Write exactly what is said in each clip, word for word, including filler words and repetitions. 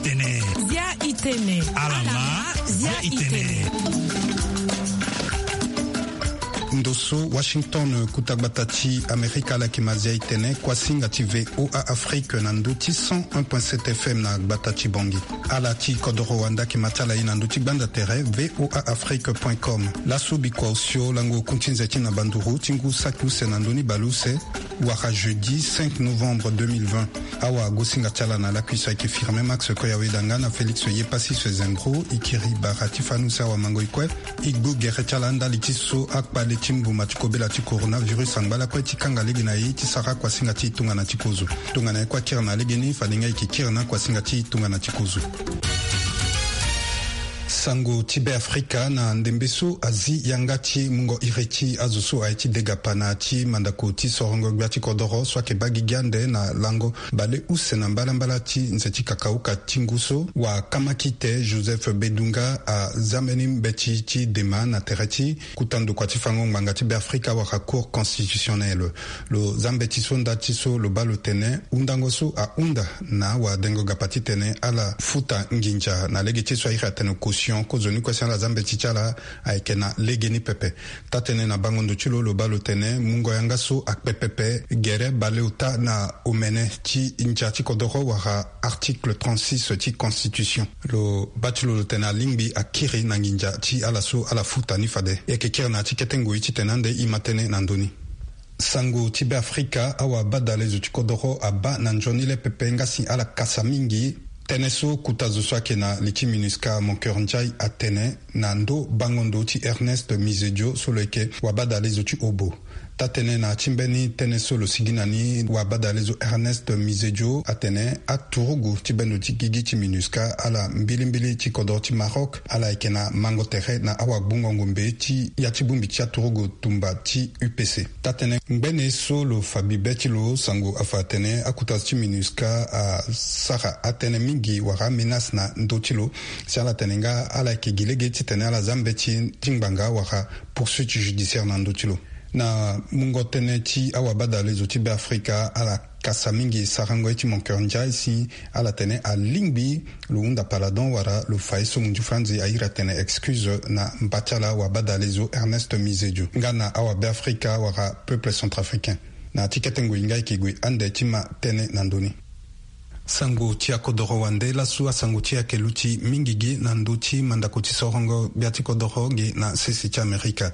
Tene. Zia itene. Alama. Zia itene. Ndo so Washington, kuta gbata ti Amerika ala yeke ma Zia itene, kuasinga ti VOA Afrique na ndö ti cent un point sept F M na gbata ti Bangui. Ala ti kodoro wande ayeke ma ti ala ye na ndö ti gbanda tere VOA Afrique point com. Laso bikua osio lango kun ti nze ti na banduru ti ngu saki use na ndö ni baleuse, wara jeudi cinq novembre deux mille vingt. Awagosinga ti ala na lakui so ayeke Firmin Max Koyaweda nga na Félix Yepassis Zengro, e kiri bara ti fani use awamango-e kue. E gbu gere ti ala ndali ti so akpale ti mbuma ti kobela ti coronavirus angba lakue ti kanga lege na e ti sara kuasinga ti tongana ti kozo. Tongana e kue akiri na legeni, fade nga e yeke kiri na kuasinga ti tongana ti kozo. Sango ti Beafrika. Na ndembe so azi yanga ti mungo iri ti azo so aye ti degapa na ya ti mandako ti sorongo gbia ti kodoro so ayeke baa gigi ande na lango baleuse na mbalambala ti nze ti kakauka ti ngu so, wakamakite Joseph Bedunga aza mbeni mbeti ti dema na tere ti kuta ndokua ti fango ngbanga ti Beafrika wala Cour constitutionnelle. Lo za mbeti so nda ti so lo baa lo tene hundango so ahunda na awadengo gapa titene ala futa nginza na lege ti so a iri atene caution, kozoni kue si ala za mbeti ti ala ayeke na legeni pepe. Taa-tënë na bango ndo ti lo, lo baa lo tene mungo yanga so akpe pepe gere baleota na omene ti ndia ti kodoro wala article trente-six ti constitution. Lo baa ti lo lo tene alingbi akiri na nginza ti ala so ala futa ni fade. E yeke kiri na ya ti kete ngoi titene ande e ma tënë na ndö ni. Sango ti Beafrika. Awabadalezo ti kodoro abaa na nzoni le pepe nga si ala kasa mingi tënë so kuta zo so ayeke na li ti MINUSCA Moncœur Ndiaye atene na ndo bango ndo ti Ernest Mizedio so lo yeke wabadalezo ti obo. Taa-tënë na ya ti mbeni tënë so lo sigi na ni, wabadalezo Ernest Mizedio atene aturugu ti bendo ti gigi ti MINUSCA ala mbilimbili ti kodoro ti Maroc ala yeke na mango tere na awagbongo ngombe ti ya ti bongbi ti aturugu tumba ti U P C. Taa-tënë ngbene so lo fa bibe ti lo sango afa atene akuta zo ti MINUSCA asara atënë mingi wala amenace na ndö ti lo, si ala tene nga ala yeke gi lege titene ala za mbeti ti ngbanga wala poursuite judiciaire na ndö ti lo. Na mungo tënë ti awabadalezo ti Beafrika, ala kasa mingi sarango ye ti Moncœur Ndiaye si ala tene alingbi lo hunda paladon wala lo fa ye so munzu franzi a iri atene excuse na mba ti ala wabadalezo Ernest Mizedio nga na awabeafrika wala peuple centrafricain. Na ya ti kete ngoi nga e yeke gue ande ti ma tënë na ndö ni. Sango ti akodoro wande. Laso asango ti e ayeke luti mingi gi na ndö ti mandako ti sorongo gbia ti kodoro ge na sese ti Amerika.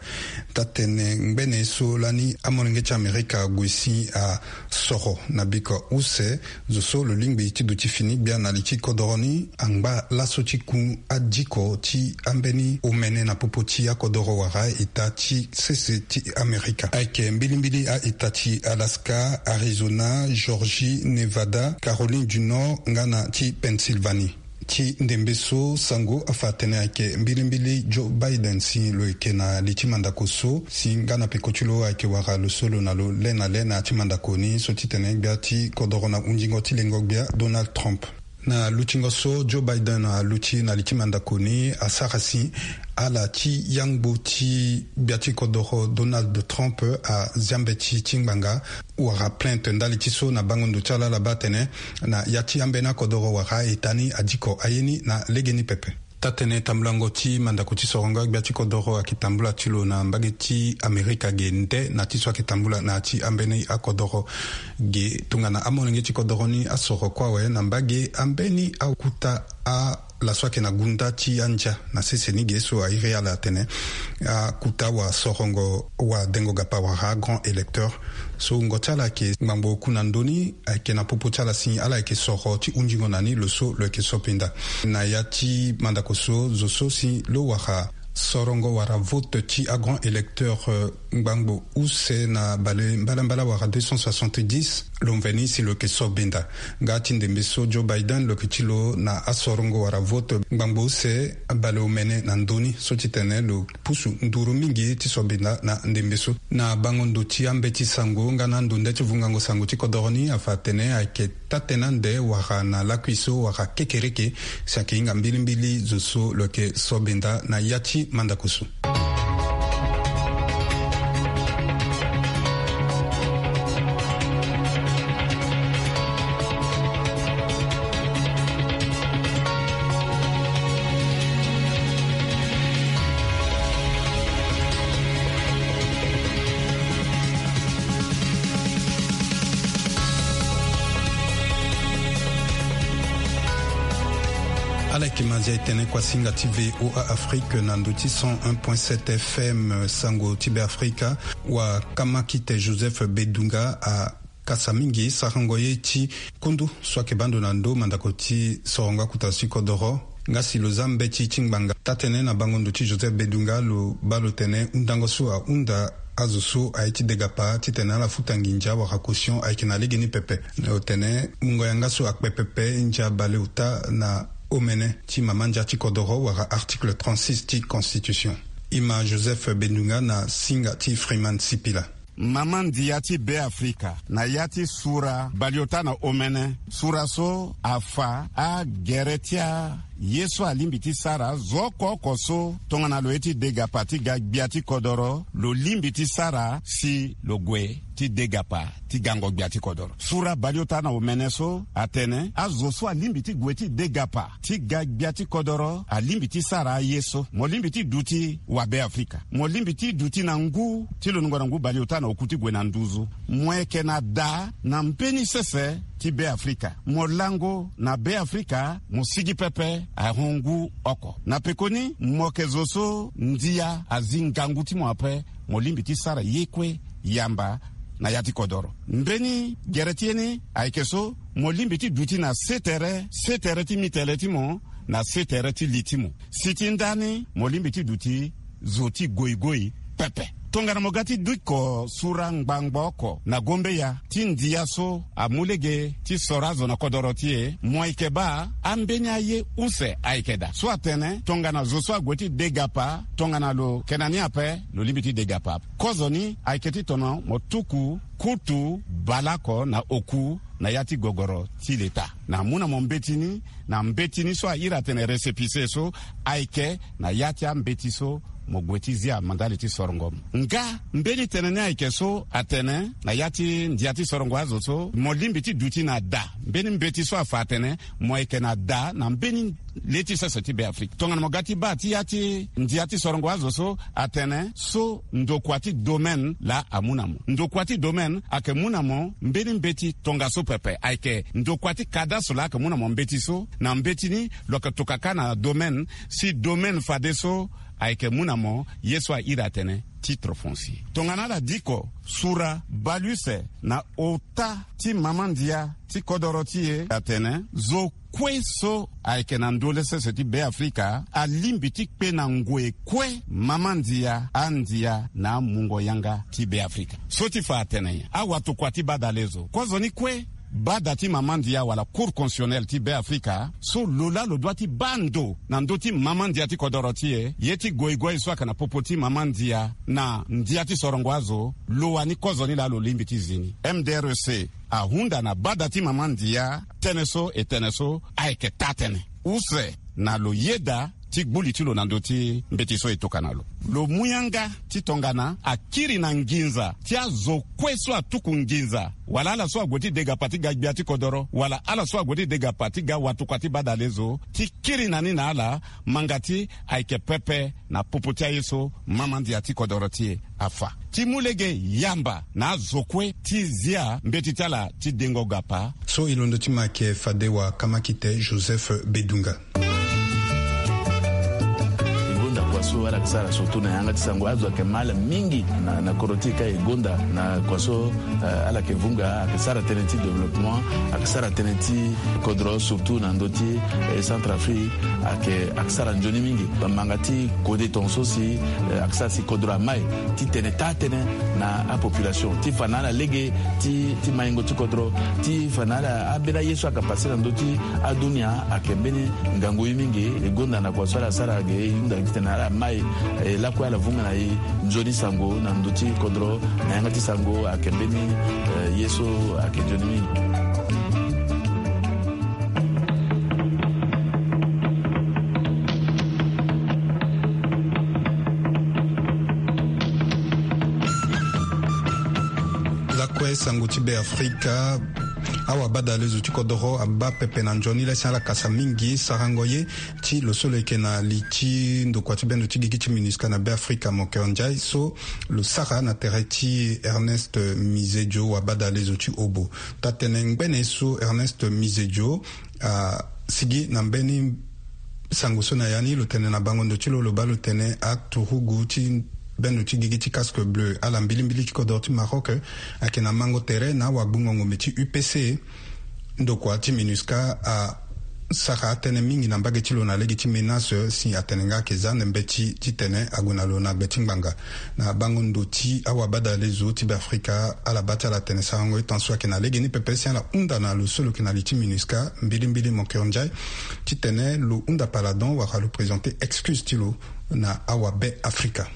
Taa-tënë ngbene so lani amolenge ti Amerika ague si asoro na biko use zo so lo lingbi ti duti fini gbia na li ti kodoro ni angba laso ti ku adiko ti ambeni omene na popo ti akodoro wala eta ti sese ti Amerika. Ayeke mbilimbili a-eta ti Alaska, Arizona, Georgie, Nevada, Caroline du Nord nga na ti Pennsylvanie. Ti ndembe so sango afa atene ayeke mbilimbili Joe Biden si lo yeke na li ti mandako so si nga na peko ti lo ayeke wara lo so lo na lo le na le na ya ti mandako ni so titene gbia ti kodoro na hunzingo ti lengo gbia Donald Trump. Na lutingo so Joe Biden aluti na li ti mandako ni asara si ala ti yangbo ti gbia ti kodoro Donald Trump azia mbeti ti ngbanga wara plainte ndali ti so na bango ndo ti ala ala baa atene na ya ti ambeni akodoro wara eta ni adiko aye ni na legeni pepe. Taa-tënë tambulango ti mandako ti sorongo gbia ti kodoro ayeke tambula ti lo na mbage ti Amerika ge nde na ti so ayeke tambula na ya ti ambeni akodoro ge tongana amolenge ti kodoro ni asoro kue awe na mbage ambeni akuta a laso ayeke na gunda ti andia na sese ni ge so a iri ala atene akuta wasorongo wadengo gapa wara grand électeur. So wungo ti ala ayeke ngbangbo oku na ndö ni ayeke na popo ti ala si ala yeke soro ti hunzingo na ni lo so lo yeke so pinda. Na ya ti mandako so zo so si lo wara sorongo wara vote ti agrand électeur ngbangbo use na bale mbalambala wala deux cent soixante-dix lo mveni si lo yeke so benda. Nga ti ndembe so Joe Biden lo yeke ti lo na asorongo wara vote ngbangbo use bale omene na ndö ni so titene lo pusu nduru mingi ti so benda na ndembe so. Na bango ndo ti ambeti sango nga na ando nde ti vungango sango ti kodoro ni afa atene ayeke taa-tënë ande wala na lakui so wala kekereke si ayeke hinga mbilimbili zo so lo yeke so benda na ya ti mandako so. Ala yeke ma ndia e tene kuasinga ti VOA Afrique na ndo ti cent un point sept F M, sango ti Be Afrika. Wa kamakite Joseph Bedunga akasa mingi sarango ye ti kundu so ayeke baa ndo na ndo mandako ti sorongo akuta ti kodoro. Nga si lo za mbeti ti ngbanga taa-tënë na bango ndo ti Joseph Bedunga, lo baa lo tene hundango so ahunda azo so aye ti degapa titene ala futa nginza wala caution ayeke na legeni pepe. Lo tene mungo yanga so akpe pepe ndia baleota na omene ti mama ndia ti kodoro wala article trente-six ti constitution. E ma Joseph Bedunga na singa ti Freeman Sipila. Mama ndia ti Be Afrika na ya ti sura baleota na omene, sura so afa agere ti a ye so alingbi ti sara zo oko oko so tongana lo ye ti degapa ti ga gbia ti kodoro lo lingbi ti sara si lo gue ti degapa ti gango gbia ti kodoro. Sura baleota na omene so atene azo so alingbi ti gue ti degapa ti ga gbia ti kodoro alingbi ti sara aye so. Mo lingbi ti duti wa Be Afrika, mo lingbi ti duti na ngu ti lo nungo na ngu baleota na oku ti gue na nduzu. Mo yeke na da na mbeni sese ti Be Afrika. Mo lango na Be Afrika, mo sigi pepe ahon ngu oko. Na pekoni mo yeke zo so ndia azi ngangu ti mo ape, mo lingbi ti sara ye kue yamba na ya ti kodoro. Mbeni gere ti ye ni ayeke so mo lingbi ti duti na se tere, se tere ti mitele ti mo na se tere ti li ti mo. Si ti ndani mo lingbi ti duti zo ti goigoi pepe. Tongana mo ga ti diko sura ngbangbo oko na gombeya ti ndia so amu lege ti soro azo na kodoro ti e, mo yeke baa ambeni aye use ayeke daa. So atene tongana zo so ague ti degapa tongana lo yeke na ni ape, lo lingbi ti degapa ape. Kozoni ayeke titene mo tuku kutu baleoko na oku na ya ti gogoro ti leta. Na amu na mo mbeti ni, na mbeti ni so a iri atene récépissé so, ayeke na ya ti ambeti so mo gue ti zia mandali ti sorongo mo. Nga mbeni tënë ni ayeke so atene na ya ti ndia ti sorongo azo so mo lingbi ti duti na da. Mbeni mbeti so afa atene mo yeke na da na mbeni le ti sese ti Be Afrika. Tongana mo ga ti baa ti ya ti ndia ti sorongo azo so atene so ndokua ti domaine laa amu na mo. Ndokua ti domaine ayeke mu na mo mbeni mbeti tongaso pepe. Ayeke ndokua ti cadastre laa ayeke mu na mo mbeti so. Na mbeti ni lo yeke tokua kâ na domaine, si domaine fadeso ayeke mu na mo ye so a iri atene titre foncier. Tongana ala diko sura baleuse na ota ti mama ndia ti kodoro ti e atene zo kue so ayeke na ndö le sese ti Be Afrika alingbi ti kpe na ngoi kue mama ndia, andia na amungo yanga ti Be Afrika. So ti fa atene nyen? Awatokua ti badalezo, kozoni kue bada ti mama ndia wala Cour constitutionnelle ti Be Afrika so lo laa lo dua ti baa ndo na ndö ti mama ndia ti kodoro ti e. Ye ti goigoi so ayeke na popo ti mama ndia na ndia ti sorongo azo, lo wani kozoni laa lo lingbi ti zi ni. M D R C ahunda na bada ti mama ndia tënë so e tene so ayeke taa-tënë use na lo yeda ti gbu li ti lo na ndö ti mbeti so e tokua na lo. Lo mu yanga ti tongana akiri na nginza ti azo kue so atuku nginza, wala ala so ague ti degapa ti ga gbia ti kodoro, wala ala so ague ti degapa ti ga watokua ti badalezo, ti kiri na ni na ala, ma nga ti ayeke pepe na popo ti aye so mama ndia ti kodoro ti e afa, ti mu lege yamba na azo kue ti zia mbeti ti ala ti dengo gapa. So e londo ti ma ayeke fade wa kamakite Joseph Bedunga. E gonda kua so ala yeke sara surtout na yanga ti sango, azo ayeke ma ala mingi na, na kodro ti e ka e gonda na kua so, eh, ala yeke vunga, ayeke sara tënë ti développement, ayeke sara tënë ti kodro surtout na ndö ti, eh, Centrafrique, ayeke, ayeke sara nzoni mingi. Bamanga ti kode tongaso si, eh, ayeke sara si kodro amai ti tene taa-tënë na apopulation ti fa na ala lege ti, ti maingo ti kodro, ti fa na ala ambeni aye so ayeke pase na ndö ti adunia ayeke mbeni ngangu ye mingi. E gonda na kua so ala sara ge e hunda titene ala mai, eh, lakue ala vunga na e nzoni sango na ndö ti kodro na yanga ti sango ayeke mbeni, eh, ye so ayeke nzoni mingi. Lakue sango ti Be Afrika. Awa badalezo ti kodoro abaa pepe na nzoni le si ala kasa mingi sarango ye ti lo so lo yeke na li ti ndokua ti bendo ti gigi ti MINUSCA na Be Afrika, Mokéran Ndiaye, so lo sara na tere ti Ernest Mizedio, wa badalezo ti Obo. Taa-tënë ngbene so Ernest Mizedio asigi na mbeni Sango so na ya ni lo tene na bango ndo ti lo, lo baa lo tene aturugu ti bendo ti gigi ti casque bleu ala mbilimbili ti kodro ti Maroc ayeke na mango tere na awagbungo ngombe ti U P C. Ndokua ti MINUSCA asara atënë mingi na mbage ti lo na lege ti menace si atene nga ayeke za ande mbeti titene ague na lo na gbe ti ngbanga. Na bango ndo ti awabadale zo ti Beafrika, ala baa ti ala tene sarango e tan so ayeke na lege ni pepe si ala hunda na lo so lo yeke na li ti MINUSCA mbilimbili Moncur Ndiaye titene lo hunda paladon wala lo présenter excuse ti lo na awabe Afrika.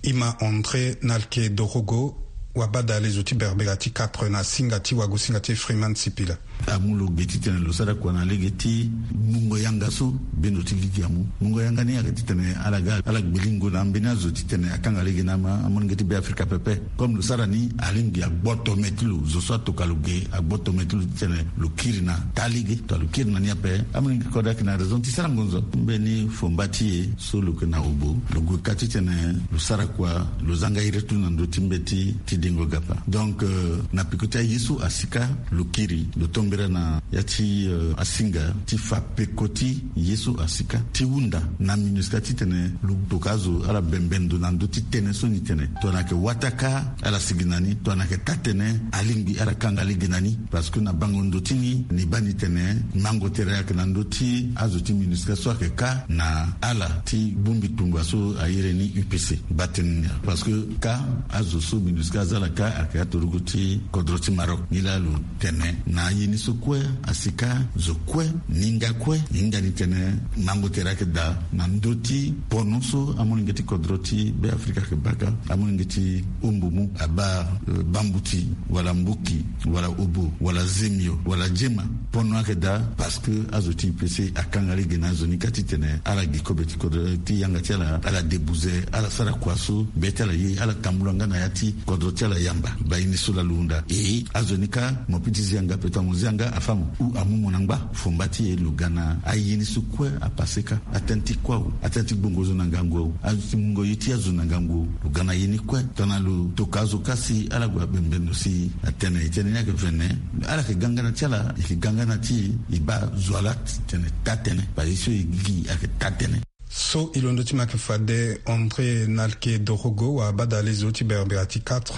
Ima André Nalke Dorogo, wabadale zo ti Berbera ti quatre na singa ti wagosinga ti Freeman Sipila. Amu lo ge titene lo sara kua na lege ti mungo yanga so bendo ti gigi amu. Mungo yanga ni ayeke titene ala ga ala gbelingo na ambeni azo titene akanga lege na ama amolenge ti Beafrika pepe. Comme lo sara ni, alingbi agboto me ti lo, zo so atoka lo ge agboto me ti lo titene lo kiri na taa lege. Tongana lo kiri na ni ape, amolenge ti kodro ayeke na raison ti sara ngonzo. Mbeni fomba ti e so lo yeke na obo, lo gue ka titene lo sara kua, lo zanga iri ti lo na ndö ti mbeti ti dengo gapa. Donc, euh, na peko ti aye so asi ka, lo kiri, lo tombera na ya ti, euh, asinga ti fa peko ti ye so asi ka ti hunda na MINUSCA titene lo toka azo ala bembe ndo na ndö ti tënë so ni tene. Tongana ayeke wataka, ala sigi na ni, tongana ayeke taa-tene, alingbi ala kanga lege na ni. Parce que na bango ndo ti ni, ni baa ni tene mango tere ayeke na ndö ti azo ti MINUSCA so ayeke ka na ala ti bongbi tongba so a iri ni U P C. Baa tënë ni ya. Parce que ka azo so MINUSCA aza ala ka ayeke aturugu ti kodro ti Maroc. Nilaa lo tene na aye ni so kue, asi ka, zo kue, ninga kue, ni hinga ni tene mango tere ayeke daa na ndö ti pono so amolenge ti kodro ti Beafrika ayeke baka. Amolenge ti Ombumu abaa, euh, Bambuti, wala Mbuki, wala Obo, wala Zemio, wala Jema. Pono ayeke daa parce que azo ti U P C akanga lege na azo ni ka titene ala gi kobe ti kodro ti yanga ti ala, ala debuze, ala sara kua so be ti ala ye, ala tambula nga na ya ti kodro ti ala yamba. Baa ye ni so laa lo hunda. E, azo ni ka, mo piti zi yanga, peut-être mo zi yanga, afa mo. Ou amu mo na ngba. Fomba ti e lo ga na aye ni so kue apase ka. Atënë ti kuâ o, atënë ti gbongo zo na ngangu o, azo ti mungo ye ti azo na ngangu o. Lo ga na ye ni kue. Tongana lo toka azo ka si ala gue abembe ndo si atene e tene ni ayeke vene, ala yeke ga nga na ti ala, e yeke ga nga na ti e, e baa zo ala tene taa-tene. Baa ye so e gigi ayeke taa-tene. So e londo ti ma ayeke fade André Nalke Dorogo, wabadale zo ti Berbera ti quatre.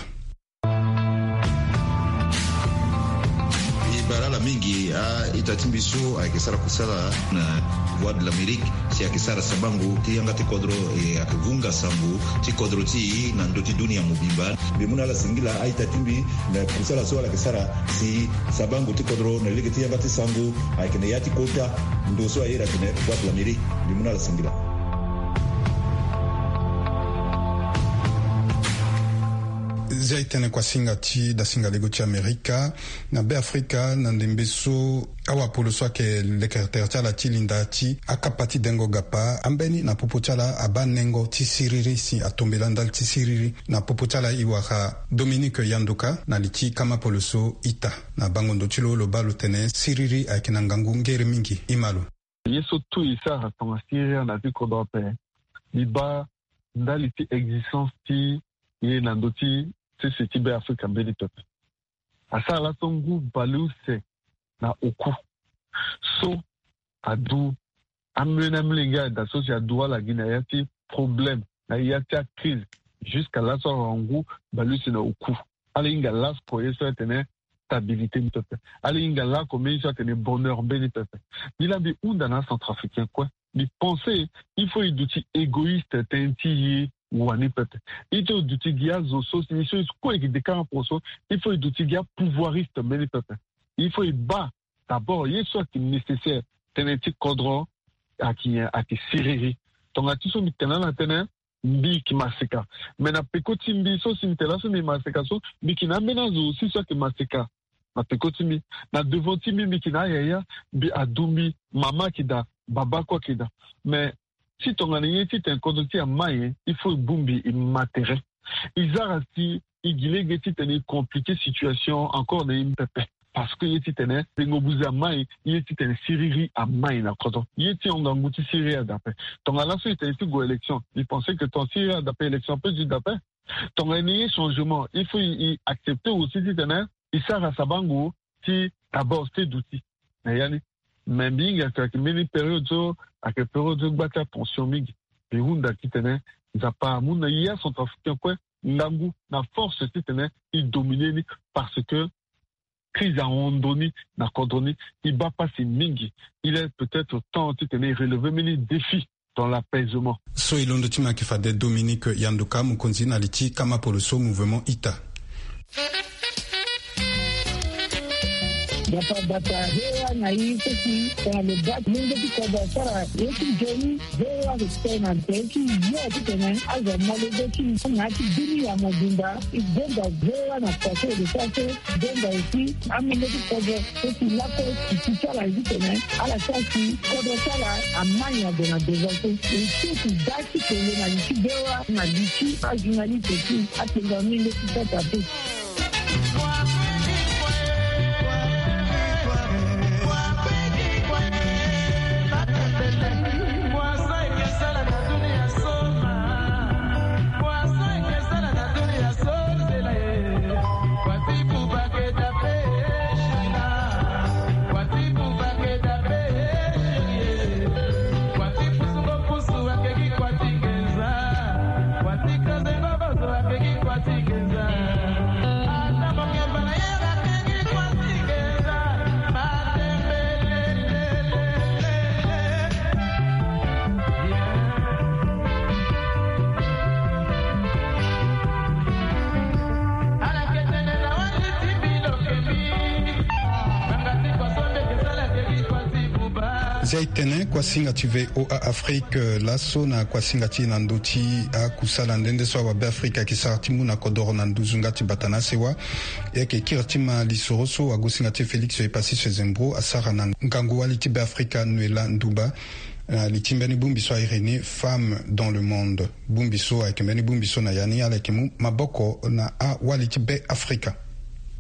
E baa ala mingi a-ita ti mbi so ayeke sara kusala na Voix de l'Amérique, si ayeke sara sabango ti yanga ti kodro, e ayeke vunga sango ti kodro ti e na ndö ti dunia mobimba. Mbi mu na ala singila a-ita ti mbi na kusala so ala yeke sara si sabango ti kodro na lege ti yanga ti sango ayeke na ya ti kota ndo so a iri atene Voix de l'Amérique. Mbi mu na ala singila. Zia e tene kuasinga ti dasinga lego ti Amerika. Na Beafrika, na ndembe so awapolo so ayeke leke tere ti ala ti linda ti akapa ti dengo gapa, ambeni na popo ti ala abaa nengo ti siriri si atombela ndali ti siriri. Na popo ti ala e wara Dominique Yandoka na li ti kamapolo so ita. Na bango ndo ti lo, lo baa lo tene siriri ayeke na ngangu ngere mingi. Ima lo. Ye so tout e sara tonga siriri na ya ti kodro ape, mbi baa ndali ti existence ti ye na ndö ti sese ti Beafrika mbeni pepe. Asara laso ngu baleuse na oku so adu ambeni amolenge ayeke daa so si adu ala gi na ya ti problème, na ya ti acrise. Jusqu'à laso awara ngu baleuse na oku. Ala hinga laso ye so atene stabilité ni pepe. Ala hinga lako mbeni so atene bonheur mbeni pepe. Mbi laa mbi hunda na acentrafricain kue. Mbi pense il faut e duti égoïste tënë ti e wani pepe. Il faut e duti gi azo so si ni so e kue e gi dekara poko so, il faut e duti gi apouvoiriste mbeni pepe. Il faut e baa d'abord ye so ayeke nécessaire tënë ti kodro ayeke, ayeke siriri. Tonga ti so mbi tene ala tënë, mbi yeke maseka. Mais na peko ti mbi so si mbi tene laso mbi maseka so, mbi yeke na ambeni azo aussi so ayeke maseka. Na peko ti mbi, na devant ti mbi, mbi yeke na ayaya, mbi adu mbi, mama ayeke daa, baba kue ayeke daa. Mais si tongana ye titene kodro ti e amai, il faut e bongbi e ma tere. E zara si e gi lege titene e compliquer situation encore na e pepe. Parce que ye titene dengo buze amai, ye titene siriri amai na kodro. Ye ti hon ngangu ti siriri adape. Tongana laso e tene ti gue élection, e pense que tongana siriri adape, élection ape zi dape. Tongana e ni ye changement, il faut e, e accepter aussi titene e sara sabango ti d'abord se duti na ya ni. Mais mbi hinga ayeke mbeni période so ayeke période so gba ti atension mingi. E hunda titene Nzapa amu na ya centrafricain kue ngangu na force titene e dominer ni, parce que crise ahon ndo ni na kodro ni. E baa pasi mingi. Il est peut-être temps titene e relever mbeni défi dans l'apaisement. So e londo ti ma yeke fade Dominique Yanduka, mokonzi na li ti kama polo so Mouvement Ita. Bata bata hewa na i seki tongana lo baa ti mungo ti kodro asara ye ti nzoni. Hewa ayeke tene na tere ti yo titene azo amolenge ti na ya ti bini ya mobimba. E gonda hewa na kua so e lo sara so. Gonda aussi amolenge ti kodro so si lakue si ti ti ala ye titene ala sara si kodro ti ala amai ague na devant so. E ti si da ti kele na li ti hewa na li ti ajournaliste ti atenga mingi ti sata te. Zia e tene kuasinga ti V O A Afrique, eh, laso na kuasinga ti e na ndö ti akusala nde nde so awabe Afrika ayeke sara ti mu na kodoro na nduzu nga ti bata na asewa. E yeke kiri ti ma lisoro so agosinga ti e Félix Epassis Sezembro asara na ngangu wali ti Be Afrika Noëlla Nduba. Na li ti mbeni bongbi so a iri ni Femme dans le monde. Bongbi so ayeke mbeni bongbi so na ya ni ala yeke mu maboko na awali ti Be Afrika.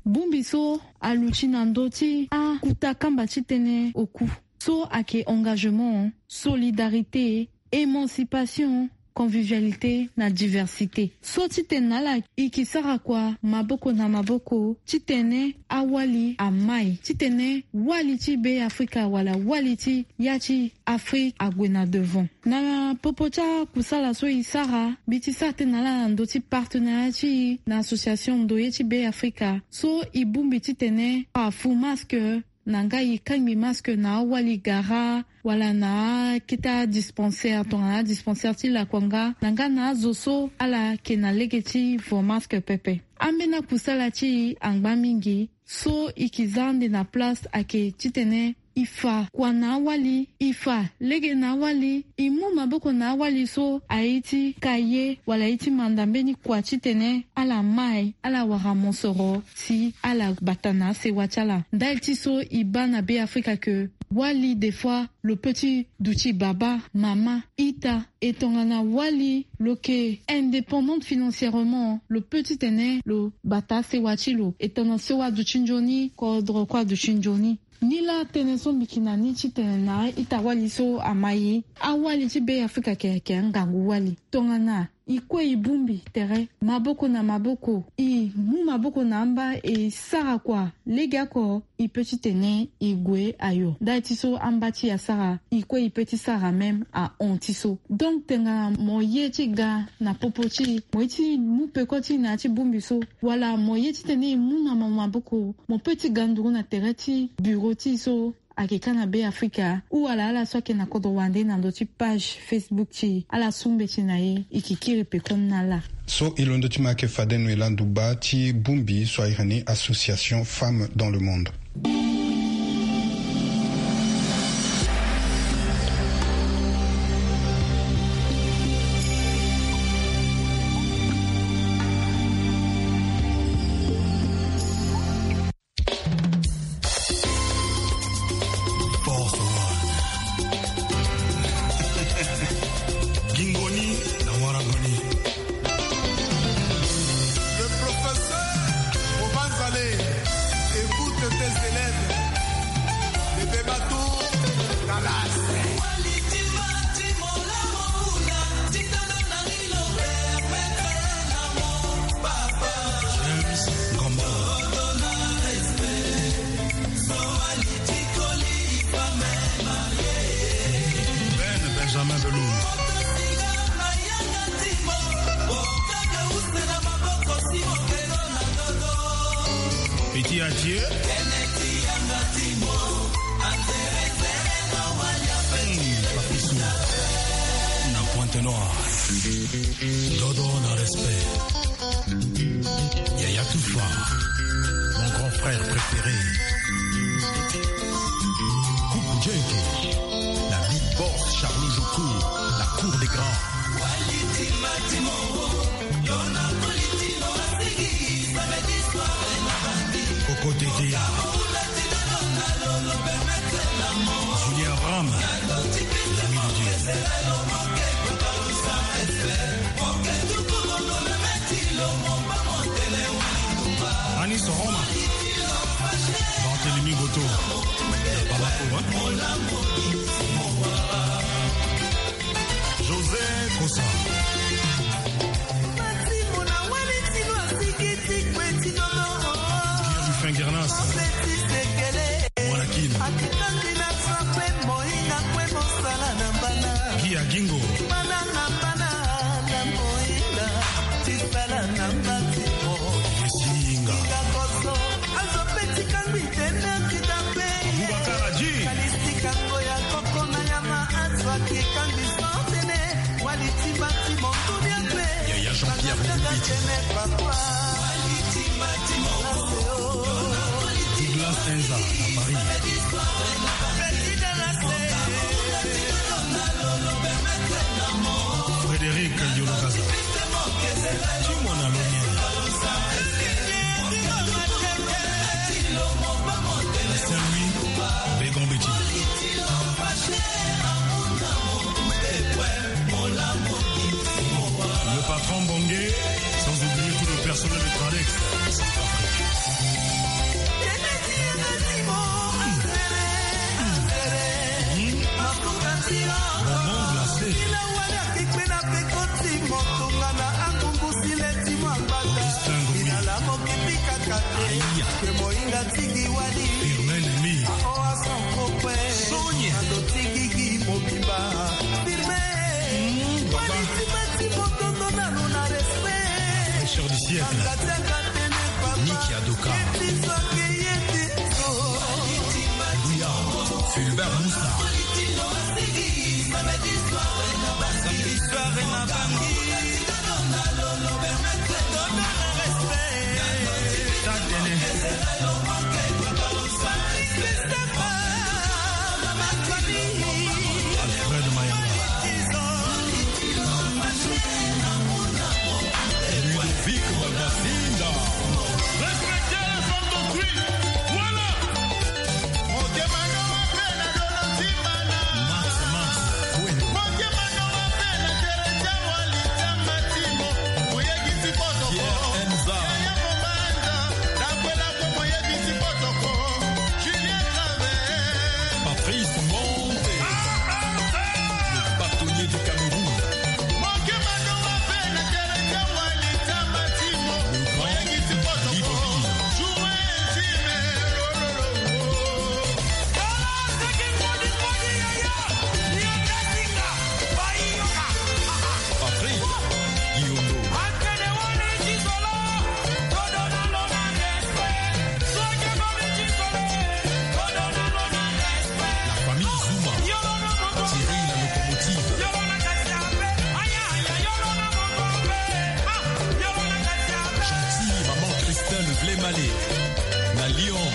Bongbi so aluti na ndö ti akuta kamba ti tënë oku so ayeke engagement, solidarité, émancipation, convivialité na diversité. So titene na ala e ke sara kua maboko na maboko titene awali amai, titene wali ti Be Afrika wala wali ti ya ti Afrika ague na devant. Na popo ti akusala so e sara, mbi ti sara tënë na ala na ndö ti partenariat ti e na association Ndoye ti Be Afrika so e bongbi titene afu masque na nga e kangbi masque na awali gara wala na akete adispensaire tongana adispensaire ti lakua nga na nga na azo so ala yeke na lege ti vo masque pepe. Ambeni akusala ti e angba mingi so e ke za ande na place ayeke titene e fa kua na awali, e fa lege na awali, e mu maboko na awali so aye ti ka ye wala aye ti manda mbeni kua titene ala mai, ala wara mosoro si ala bata na asewa ti ala. Ndali ti so e baa na Be Afrika ke wali des fois lo peut ti duti baba, mama, ita, e tongana wali lo yeke indépendante financièrement, lo peut titene lo bata asewa ti lo. E tongana sewa aduti nzoni, kodro kue aduti nzoni. Nilaa tënë so mbi yeke na ni titene na a-ita-wali so amai, awali ti Be Afrika ayeke angangu wali. Tongana e kue e bongbi tere maboko na maboko, e mu maboko na amba e sara kua legeoko, e peut titene e gue ayo. Ndali ti so amba ti e asara, e kue e peut ti sara même ahon ti so. Donc tongana mo ye ti ga na popo ti e, mo ye ti mu peko ti e na ya ti bongbi so, wala mo ye titene e mu na mo maboko, mo peut ti ga nduru na tere ti bureau ti e so ayeke ka na Be Afrika, ou wala ala so ayeke na kodro wande na ndö ti page Facebook ti e, ala su mbeti na e, e yeke kiri pekoni na ala. So e londo ti ma ayeke fade Noëlla Nduba ti bongbi so a iri ni Association Femmes dans le Monde. Force One. Gingoni na Waragoni. Le professeur Bobanzale, écoute tes Benjamin Belou. Petit Adieu. Hmm, Papissou. Na Pointe-Noire. Dodo na respect. Yaya Toufa, mon grand frère préféré. Coucou Djenke, la big boss Charlot Joko, la cour des grands. Coco Tété, Julien Abraham, l'ami de Dieu. Anis Roma, Barthélemy Goto, Bamako, hein? José Kosa. Pierre Rufin Guernas. Mwana Kin. Guy Agingo. Olivier Singa. Aboubacar Adji. Yaya Jean-Pierre Ngoumbiti. Douglas Enza à Paris. Frédéric Yolokaza. Timon Alonien. Saint-Louis, Bégon Béti. Le patron Bongué, sans oublier tout le personnel de Tradex. Bonbon glacé. Augustin Ngoyi. Aïe. Firmin Nemi. Sonia. Fraîcheur du siècle. Niki Adoka. Louya. Fulbert Moussa. Alfred Mayanga. Ludovic Babasinda. Respectez les femmes d'autrui. Voilà. Max, Max. Pierre Enza. Patrice Monte, le bâtonnier du Cameroun. Le grand Libreville. Patrice Guillaume. La famille Zuma. Thierry la locomotive. Gentil, maman Christelle Vlemale. La Lyon.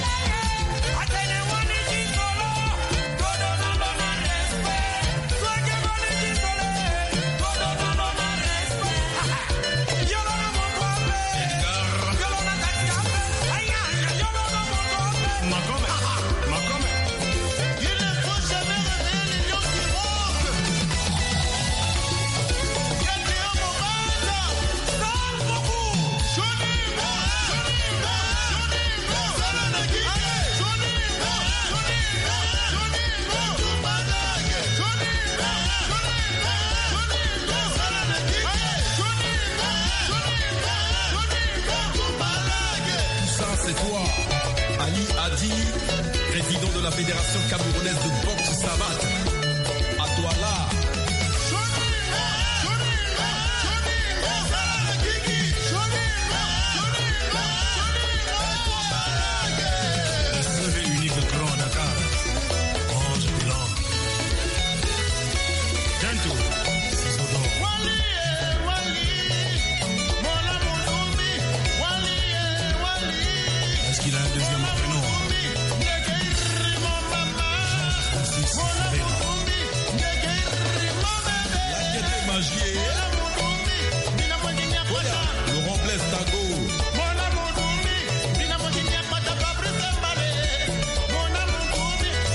Laurent Blaise Tago.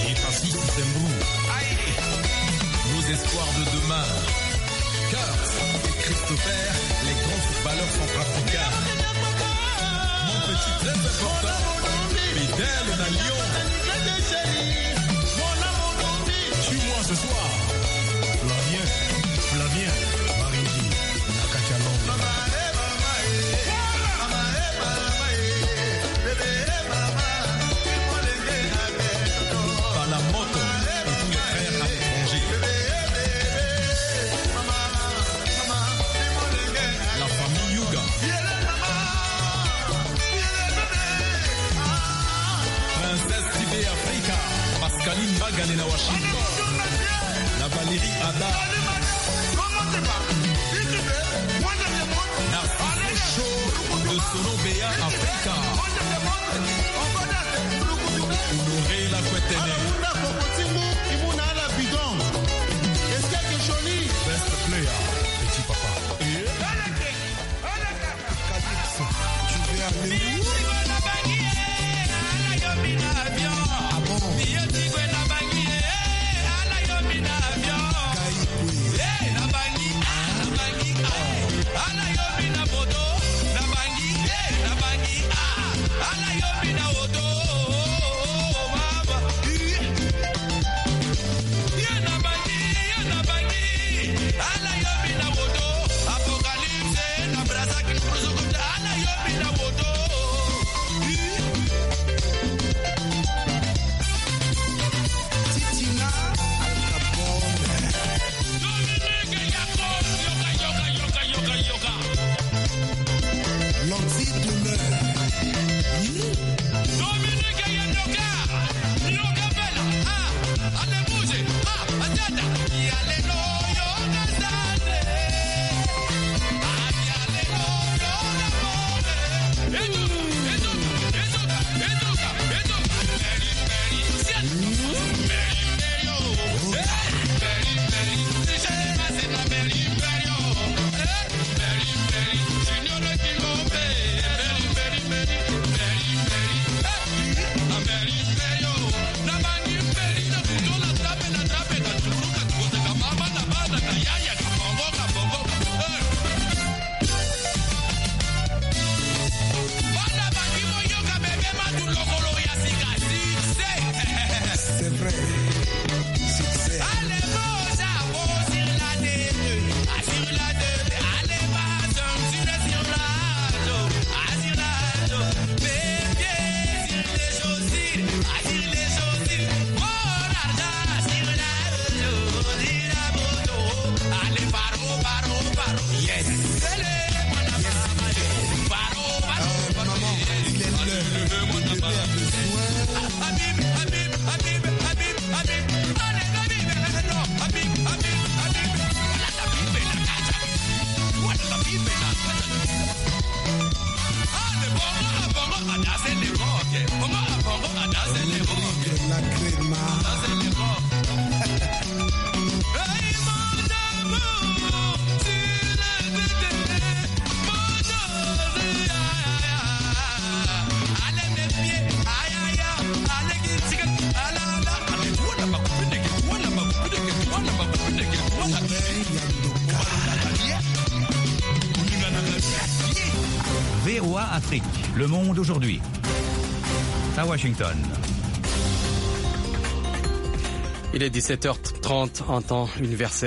Et Tassus Sembrou. Nos espoirs de demain. Kurt et Christopher, les grands footballeurs centrafricains. Mon petit, très important, Bedel na Lyon. Suis-moi ce soir. Flavien, Flavien Marindi, na kati ya Londres. Palamoto et tous les frères à l'étranger. La famille Yuga. Princesse Tibé Africa. Pascaline Bagale na Washington. La Valérie Ada. Narciso Show de Sono Béa Africa. Honoré la Kwetene. Best player, petit papa. Calypso, tu veux aller où? Ah bon? Gaïkwe. Lanti Demeure. Dominique Yoka, Yoka Bella, ah, allez bouger, ah, attends, allez, non, Yoka Sase. C'est vrai. Succès. Yes. Yes. Euh, maman, il est l'heure de donner un peu soin. V O A Afrique, le monde aujourd'hui. À Washington. Il est dix-sept heures trente en temps universel.